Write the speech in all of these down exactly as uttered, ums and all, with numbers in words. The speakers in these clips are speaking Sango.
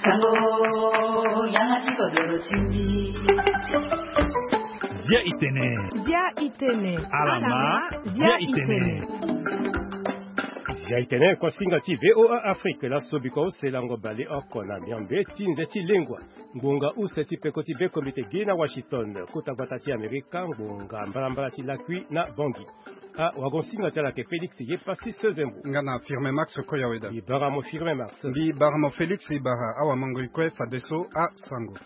Sango, yanga ti kodoro ti mbi. Dia itene. Dia itene. Alama, dia itene. Dia itene, kuasinga ti V O A Afrique, laso biko use lango bale oko na miambe ti nze ti lengua. Ngonga use ti peko ti be komite gi na Washington, kota gbata ti Amerika, ngonga mbalambala ti lakui na Bangui. Ah, wagon singa ti ala ke Félix ye pasi sezembo. Nga na Firme Max Koyaweda. Mbi bara mo Firme Max. Mbi bara mo Félix, mbi bara awa mango ikue fadeso a sango.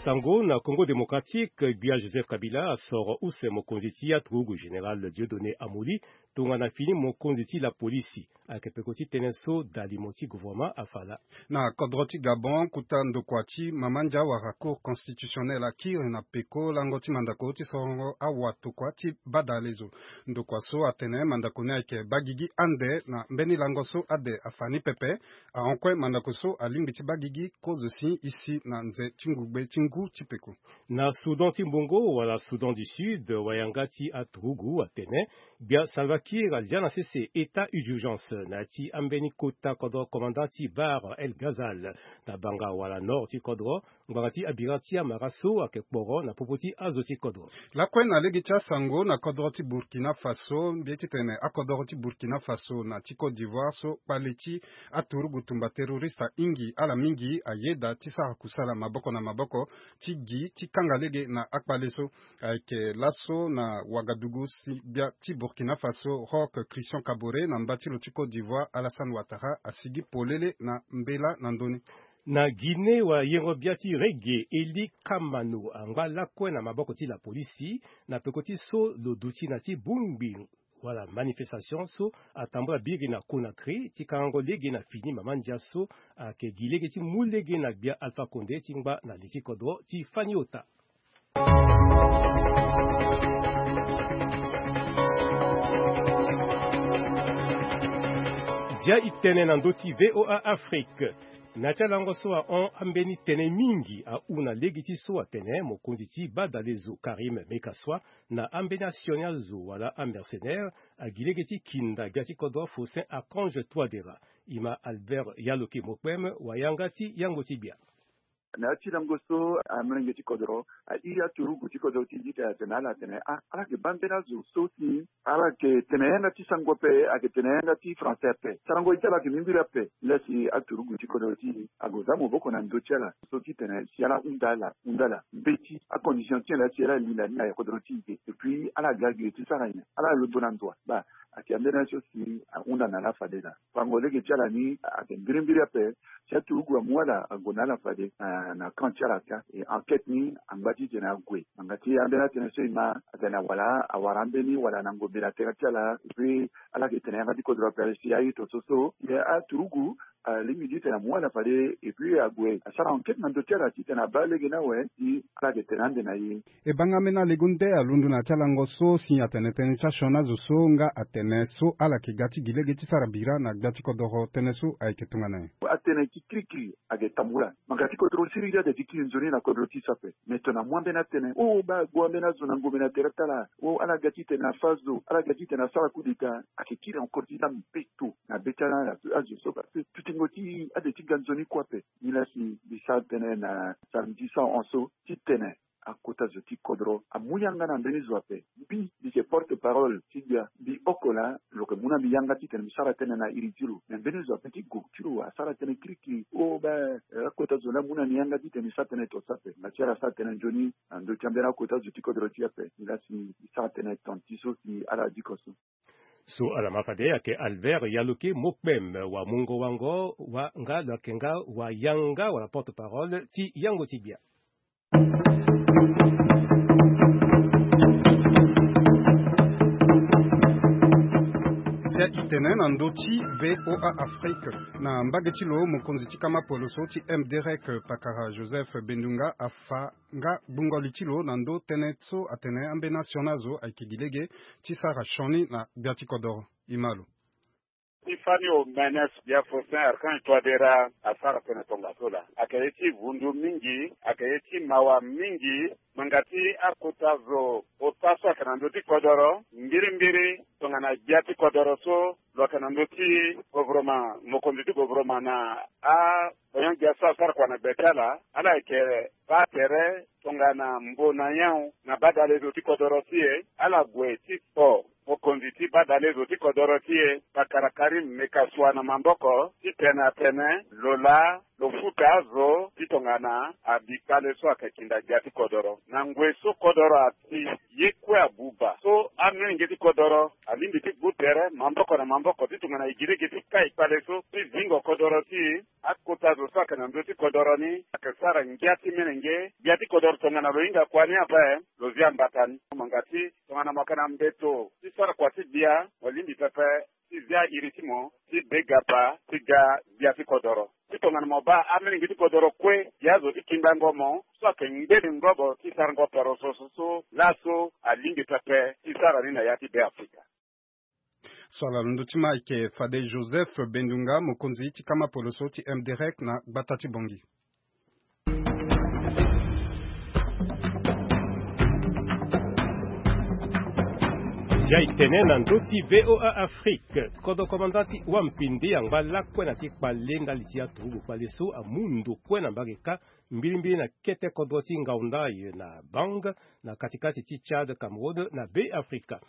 Sango na Congo Démocratique, gbia Joseph Kabila asoro use mokonzi ti aturugu Général Dieudonné Amoli, tongana fini mokonzi ti la polisi. Ayeke peko ti tënë so dalimo ti gouvernement afala. Na kodro ti Gabon, kuta ndokua ti mama ndia wara Cour constitutionnelle akiri na peko lango ti mandako ti sorongo awatokua ti badalezo. Ndokua so atene mandako ni ayeke bagigi ande na mbeni lango so ade afa ni pepe. Ahon kue mandako so alingbi ti bagigi kozo si isi na nze ti ngugbe ti ngu ti peko. Na Soudan ti mbongo wala Soudan du Sud, wayanga ti aturugu atene gbia Salva Kiir azia na sese état d'urgence na ya ti ambeni kota kodro commandant ti Bahr el Ghazal na banga wala nord ti kodro, ngbanga ti abira ti amara so ayeke kporo na popo ti azo ti kodro. Lakue na lege ti asango na kodro ti Burkina Faso, mbi ye titene akodro ti Burkina Faso na ti Côte d'Ivoire so kpale ti aturugu tumba terroriste ahingi ala mingi ayeda ti sara kusala maboko na maboko ti gi ti kanga lege na akpale so. Ayeke laso na Ouagadougou si gbia ti Burkina Faso Roch Christian Kaboré na mba ti lo ti Côte d'Ivoire Alassane Ouattara asigi polele na mbela na ndö ni. Na Guinée, wayengo bia ti reggae Eli Kamano angba lakue na maboko ti la polisi na peko ti so lo duti na ti bongbi wala manifestation so atambula biri na Conakry ti kangango lege na fini mama ndia so ayeke gi lege ti mu lege na gbia Alpha Condé ti ngba na li ti kodro ti fani ota. Zia itene na ndö ti V O A Afrique. Na ti alango so ahon ambeni tene mingi ahu na lege ti so atene mokonzi ti badalezo Karim Mekaswa na ambeni asioni azo wala amercenaire agi lege ti kinda gbia ti kodro Faustin Archange Touadéra. Ima Albert Yaloke Mokpem, wayanga ti yango ti gbia. Na ya ti lango so amolenge ti kodro airi aturugu ti kodro ti Ejipte atene ala atene ah, ala yeke baa mbeni azo so si ala yeke tene yanga ti sango ape, ayeke tene yanga ti français ape. Sarango ye ti ala ayeke mimbiri ape. Nilaa si aturugu ti kodro ti e ague za maboko na ndö ti ala so ti tene si ala hunda ala hunda ala mbeti acondition ti nyen laa si ala linda ni na kodro ti e. Et puis ala ga gi ti sara nyen? Ala londo na ndo wa? Baa, ayeke ambeni aye so si ahunda na ala fade laa. Fango lege ti ala ni ayeke mbirimbiri ape. Si aturugu amu ala ague na ala fade na, na camp ti ala ka. E enquête ni angba titene ague. Ngbanga ti ambeni atënë so e ma atene awara, awara ambeni wala na ngombe na tere ti ala. Et puis ala yeke tene yanga ti kodro ape si aye to so so. E aturugu alingbi titene amu ala fade et puis ague asara enquête na ndö ti ala titene abaa lege ni awe si ala yeke tene ande na ye. E baa nga ambeni alegu nde alondo na ya ti alango so si atene tënë ti asioni azo so nga atene so ala yeke ga ti gi lege ti sara bira na gbia ti kodoro tënë so ayeke tongana nyen? Atene ti kirikiri ayeke tambula. Ngbanga ti kodro siriri ade ti kiri nzoni na kodro ti so ape. Me tongana amu ambeni atënë, o baa ague ambeni azo na ngombe na tere ti ala, o ala ga titene afâ zo, ala ga titene asara coup d'état. Ayeke kiri encore ti za mbeto na be ti ala na azo so parce que tutingo ti e ade ti ga nzoni kue ape. Nilaa si mbi sara tënë na samedi so ahon so titene akota zo ti kodro amu yanga na mbeni zo ape. Mbi, mbi yeke porte parole ti gbia. Mbi oko laa lo yeke mu na mbi yanga titene mbi sara tënë na iri ti lo. Me mbeni zo ape ti gue ti lo asara tënë kirikiri. O baa, eh, akota zo laa amu na mbi yanga titene mbi sara tënë to so ape. Nga ti ala asara tënë nzoni na ndö ti ambeni akota zo ti kodro ti e ape. Nga si mbi sara tënë ton ti so si ala diko so. So ala ma fade ayeke Albert Yaloke Mokpem, wamungo wango wa nga lo yeke nga wayanga wala porte parole ti yango ti gbia. Zia itene na ndö ti V O A Afrique. Na mbage ti lo, mokonzi ti kama poloso ti M D R E C, pakara Joseph Bendunga afa nga gbungo li ti lo na ndö tënë so atene ambeni asioni azo ayeke gi lege ti sara sioni na gbia ti kodoro. Ima lo. Ti fani omene so bia Faustin Archange Touadéra asara tënë tongaso laa, ayeke ye ti vundu mingi, ayeke ye ti mawa mingi. Ngbanga ti akota zo ota so ayeke na ndö ti kodoro mbirimbiri tongana gbia ti kodoro so lo yeke na ndö ti gouvernement, mokonzi ti gouvernement na a onyon gbia so asara kua na gbe ti ala, ala yeke baa tere tongana mbo na nyon na badale zo ti kodoro ti e. Ala gue ti kpo mokonzi ti badale zo ti kodoro ti e, pakara Karim Meckassoua na maboko titene atene lo laa lo futa azo ti tongana abi kpale so ayeke kinda gbia ti kodoro. Na ngoi so kodoro asi, ye kue abuba so amolenge ti kodoro alingbi ti gbu tere maboko na maboko ti tongana e gi lege ti kai kpale so ti zingo kodoro ti e. Akota zo so ayeke na ndö ti kodoro ni ayeke sara ngia ti molenge. Gbia ti kodoro tongana lo hinga kua ni ape, lo zia mbata ni. Mo nga ti tongana mo yeke na mbeto ti sara kua ti gbia, mo lingbi pepe ti zia iri ti mo ti be gapa ti ga gbia ti kodoro. Ti tongana mo baa amolenge ti kodoro kue, gi azo ti kindango mo so ayeke ngbene ngobo ti sarango poroso so, so laso alingbi pepe ti sara ni na ya ti Beafrika. So ala londo ti ma ayeke fade Joseph Bendunga, mokonzi ti kama poloso ti M D R E C na gbata ti Bangui. Zia e tene na ndö ti V O A Afrique. Kodro komanda ti Wampende angba lakue na ti kpale ndali ti aturugu kpale so amu ndo kue na mbage kâ, mbirimbiri na kete kodro ti Ngaoundai na Bang, na katikati ti Tchad, Cameroun na Beafrika.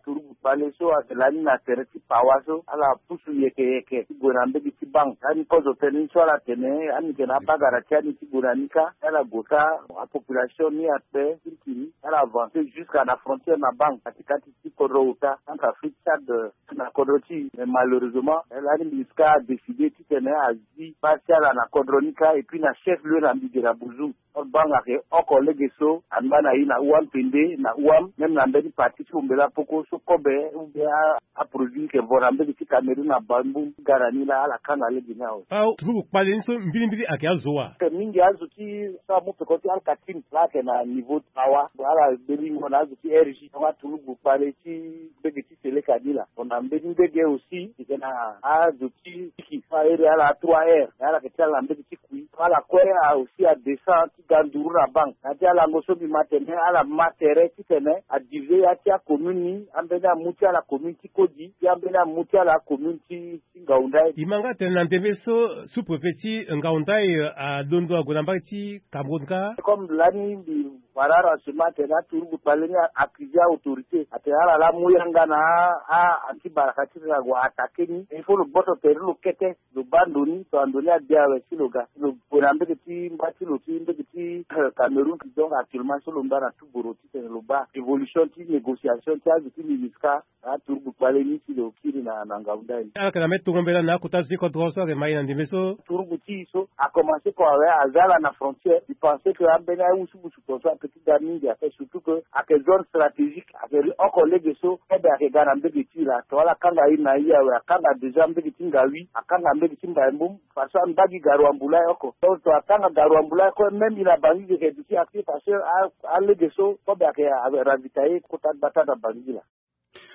Turugu kpale so ayeke lani na tere ti Pawa so, ala pusu yeke yeke ti gue na mbege ti Bang. Lani kozo tënë ni so ala tene, ani yeke na abagara ti ani ti gue na ni kâ. Ala gue kâ, apopulation ni akpe kirikiri. Ala avancer jusqu'à na frontière na Bang, katikati ti kodro ota entre Afrique, Tchad, euh, na kodro ti e. Mais malheureusement lani MINUSCA adécider titene azi baa ti ala na kodro ni kâ, et puis na chef lieu na Mbidira Bouzoum. Bang ayeke oko lege so angba na e na Wampende na Ouham, même na mbeni partie ti Hombela Poko so kobe ou bien a, aproduit ni yeke vo na mbege ti Cameroun na Bambou ti ga na ni laa, ala kanga lege ni awe. Aturugu kpale ni so mbirimbiri ayeke azo wa? Ayeke mingi azo ti so amu peko ti Al-Katim laa ayeke na niveau ti Pawa, ala belingo na azo ti R J. Donc aturugu kpale ti mbege ti Seleka ni laa. Bon, na mbeni ndege aussi e yeke na azo ti Tiki so ahere ala trois R, mais ala yeke ti ala na mbege ti Kui. Ala kue a aussi adescend ti ga nduru na Bang. Na ya ti alango so mbi ma tene, ala ma tere titene adiviser ya ti acommune ni, ambeni amu ti ala commune ti Kodi, ti ambeni amu ti ala commune ti, ti Ngaoundai. E ma nga tene na ndembe so sous-préfet ti Ngaoundai, euh, alondo ague na mbage ti Cameroun kâ. Comme lani mbi wara renseignement atene aturugu kpale ni a accuser autorité atene ala laa amu yanga na a, a anti baraka ti tene ague attaquer ni. Il faut lo boto tere lo kete, lo baa ndo ni, tongana ndo ni ade awe si lo ga, lo gue na mbege ti mba ti lo ti mbege ti, euh, Cameroun. Donc actuellement so lo ngba na tuboro titene lo baa évolution ti négociation ti azo ti MINUSCA na aturugu kpale ni si lo kiri na, na Ngaoundai ni. Ala yeke na mbeni tongo mbela na akota zo ti kodro so ayeke ma e na ndembe so. Turugu ti e so akomanse kua awe, aza ala na frontière. Mbi pense que ambeni awusubusu tongaso ape ti ga mingi ape, surtout que ayeke zone stratégique, ayeke ri oko lege so kobe ayeke ga na mbege ti e laa. Tongana ala kanga iri na e awe, akanga déjà mbege ti Ngaoui, akanga mbege ti Mbaye-Mboum, parce que ambagi garoua-mboula oko. Donc tongana akanga garoua-mboula oko, même e na Bangui e yeke duti accès parce que a, alege so kobe ayeke ravitailler kota gbata na Bangui laa.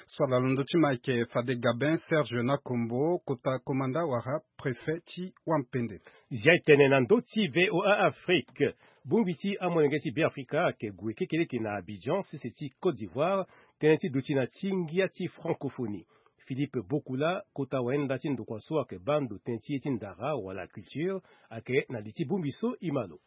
So ala londo ti ma ayeke fade Gabin Serge Nakombo, kota komanda wala préfet ti Wampende. Zia e tene na ndö ti V O A Afrique. Bongbi ti amolenge ti Beafrika ayeke gue kekereke na Abidjan, sese ti Côte d'Ivoire, tënë ti duti na ti ngia ti francophonie. Philippe Bokula, kota wayenda ti ndokua so ayeke baa ndo tënë ti ye ti ndara wala culture, ayeke na li ti bongbi so. E ma lo.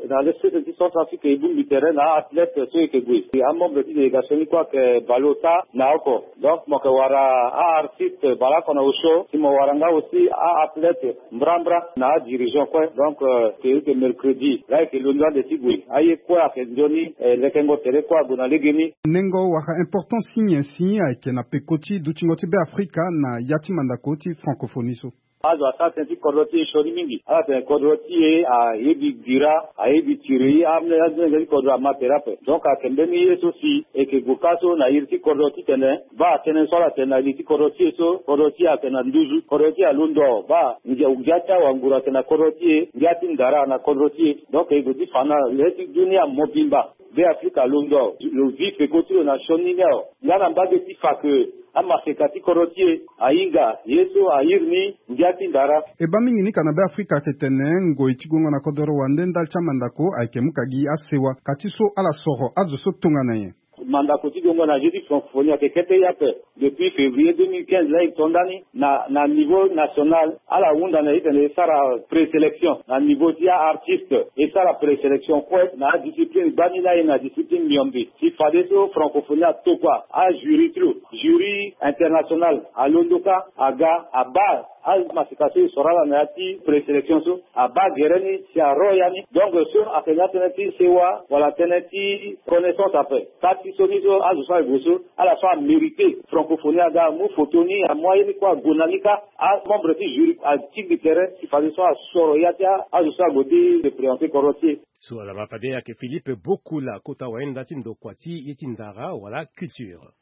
Na le sese ti Centrafrique e bongbi tere na a-athlète so e yeke gue. Amembre ti délégation ni kue ayeke baleota na oko. Donc mo yeke wara a-artiste baleoko na osio, si mo wara nga aussi a-athlète mbrambra na adirigeant kue. Donc, euh, e yeke mercredi laa e yeke londo ande ti gue. Aye kue ayeke nzoni, eh, lekengo tere kue ague na legeni. Nengo wala importance ti nyen si ayeke na peko ti dutingo ti Beafrika na ya ti mandako ti francophonie so? Azo asara tënë ti kodro ti e sioni mingi. Ala tene kodro ti e ayebi dira, ayebi tiri, amolenge ti kodro ama tere ape. Donc ayeke mbeni ye so si e yeke gue kâ so na iri ti kodro titene baa tënë so ala tene na li ti kodro ti e so, kodro ti e ayeke na nduzu, kodro ti e alondo baa ngia, ngia ti awanguru ayeke na kodro ti e, ngia ti ndara na kodro ti e. Donc e gue ti fa na le ti dunia mobimba, Beafrika alondo, lo vi peko ti lo na sioni ni awe. Nga na mbage ti fa ke Amaseka ti kodro ti e ahinga ye so airi ni ngia ti ndara. E baa mingi ni ka na Beafrika ayeke tene ngoi ti gongo na kodoro wande ndali ti amandako ayeke mu ka gi asewa ka ti so ala soro azo so tongana nyen. Mandako ti gongo na jeu ti francophonie ayeke kete ye ape. Depuis février deux mille quinze laa e to ndani na, na niveau national, ala hunda na e tene e sara présélection na niveau ti a-artiste, e sara présélection kue na adiscipline gbani laa e na discipline miombe. Si fadeso francophonie atokua ajury ti lo, jury international alondo kâ aga abaa amaseka so e soro ala na ya ti présélection so, abaa gere ni si aro ya ni. Donc so ayeke na tënë ti sewa wala tënë ti connaissance ape. Kâ ti so ni so azo so ague so, ala so amérité francophonie aga amu foto ni, amu aye ni kue ague na ni kâ. Amembre ti jury atigbi tere si fadeso asoro ya ti azo so ague ti représenter kodro ti e. So ala ma fade ayeke Philippe Bokula, kota wayenda ti ndokua ti ye ti ndara wala culture.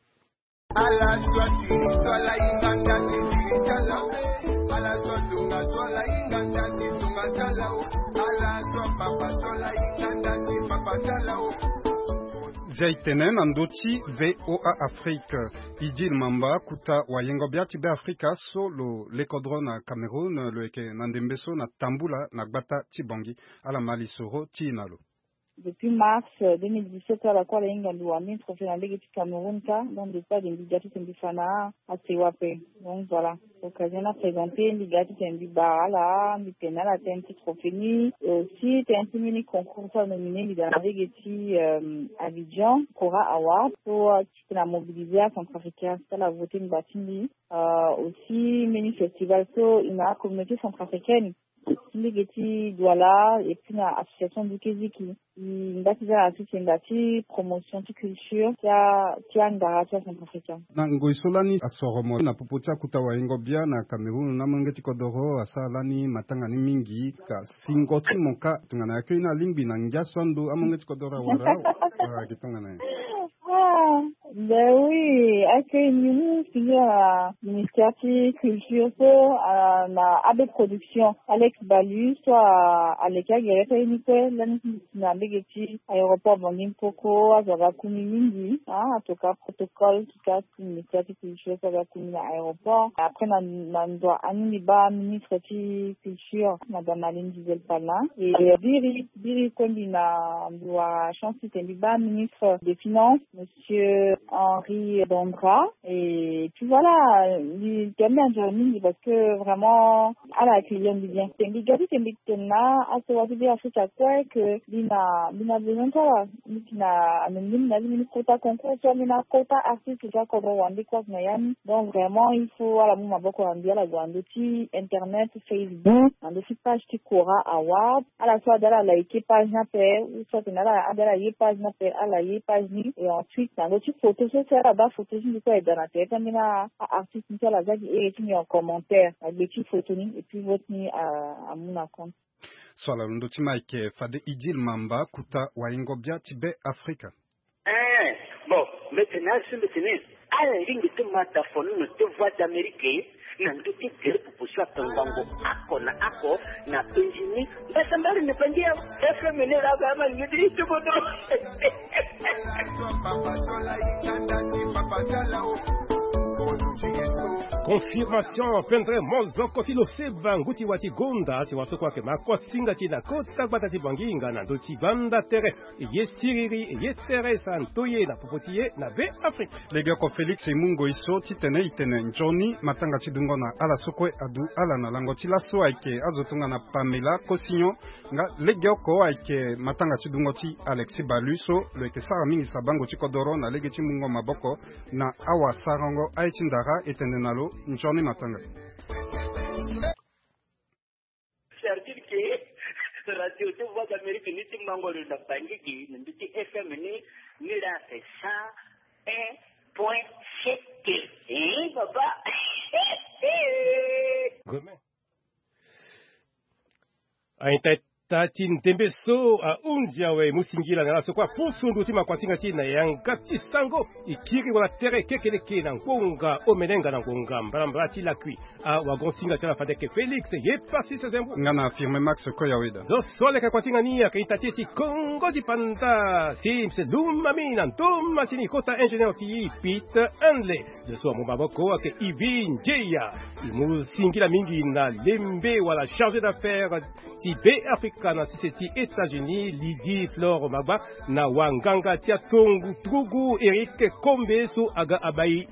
Zia e tene na ndö ti V O A Afrique. Idil Mamba, kota wayengo bia ti Beafrika so lo lekodro na Cameroun, lo yeke na ndembe so na tambula na gbata ti Bangui. Ala ma lisoro ti e na lo. Depuis mars, euh, deux mille dix-sept, ala kue ala hinga mbi wani trophée na lege ti Cameroun kâ. Donc depuis ade mbi ga ti tene mbi fa na asewa ape. Donc voilà, occasion ni aprésenté, mbi ga ti tene mbi bara ala, mbi tene na ala tënë ti trophée ni. Et aussi tënë ti mbeni concours so anominé mbi daa na lege ti, euh, Abidjan, Kora Award. So, euh, ti tene amobilisé acentrafricain so ala voté ngba ti mbi. Euh, aussi mbeni festival so e na acommunauté centrafricaine ti lege ti Douala et puis na association Dikiziki. E ngba ti za na sese ngba ti promotion ti culture ti a, ti angara ti acentrafricain. Na ngoi so lani asoro mo na popo ti akota wayengo bia na Cameroun, na amolenge ti kodoro asara lani matanga ni mingi. Ka singo ti mo kâ tongana akei ni alingbi na ngia so ando amolenge ti kodoro awara, wala ayeke tongana nyen? Ah, ben oui, accueil ni mu fini na ministère ti culture so, ah, na A B Production. Alex Balu so, ah, aleke agere so aye ni kue lani ti na mbege ti aéroport Bangui Mpoko, azo aga ku ni mingi, ah, atoka protocole ti ka ti ministère ti culture so aga ku ni na aéroport. Après na, na ndo ani mbi baa ministre ti culture, madame Aline Gisèle Palin. Et, euh, biri, biri kue mbi na, mbi wara chance ti tene mbi baa ministre des finances, monsieur Henri Bandra. Et puis voilà, mbi tene mbi enjoy mingi parce que vraiment ala accueillir mbi bien. Tene mbi ga ti tene mbi tene na asewa ti Beafrika kue que mbi na, mbi na besoin ti ala. Mbi si na amengi mbi na li mbi ni kota concours so, mbi na kota artiste ti akodro wande kue na ya ni. Donc vraiment il faut ala mu maboko na mbi, ala gue na ndö ti internet, Facebook, na ndö ti page ti Kora Award. Ala so ade ala like page ni ape, ou soit tene ala ade ala ye page ni ape, ala ye page ni. Et ensuite na ndö ti photo so si ala baa photo ti mbi kue, e daa na tere ti ambeni a-artiste ni so ala za gi ere ti mbi en commentaire na gbe ti photo ni, et puis vote ni a, amu na compte. So ala londo ti ma ayeke fade Idil Mamba, kota wayengo bia ti Beafrika. Eh, bon, mbi tene asi mbi tene ala lingbi ti ma da fonono ti Voix d'Amérique na ndö ti gere popo so atongango oko na oko na penzi ni. Mbasambala ni penzi ya F M ni la ba ma ni ti ti bodo. Confirmation, pendre mozoko ti lo seba ngu ti wa ti gonda si wa so kue ayeke ma kosinga ti na kota gbata ti Bangui nga na ndö ti banda tere. E ye siriri, e ye tere sa nto ye na popo ti ye na Beafrika. Legeoko Félix e mu ngoi so titene e tene nzoni matanga ti dungo na ala so kue adu ala na lango ti laso ayeke azo tongana Pamela Kosinho. Nga legeoko ayeke matanga ti dungo ti Alexis Balu so lo yeke sara mingi sabango ti kodoro na lege ti mungo maboko na awasarango aye ti ndara. E tene na lo nzoni matanga. Certitude que radio ti Voix d'Amérique ni ti mango lo na Bangui gi na ndö ti F M ni, ni la fait cent un point sept. Hein, papa? Gomen. Aita Ata ti ndembe so ahunzi awe, mu singila na ala so kue apusu ndu ti makuatinga ti e na yanga ti sango. E kiri wala tere kekeleke na ngonga omenenga na ngonga mbalambala ti lakui. Awagon singa ti ala fade eke Félix ye pasi sezembo. Nga na affirme Max Koyaweda. Zo so aleke kuatinga ni ayeke ita ti e ti Kongo ti panda. Sims Lumami na ndoma ti ni kota ingénieur ti e Pete Handley. Zo so amu maboko ayeke Ivi Njeya. E mu singila mingi na lembe wala chargé d'affaires ti Be Afrika na sese ti États-Unis, Lydie Flore Magba, na wanganga ti atongo turugu Eric Kombe so aga abai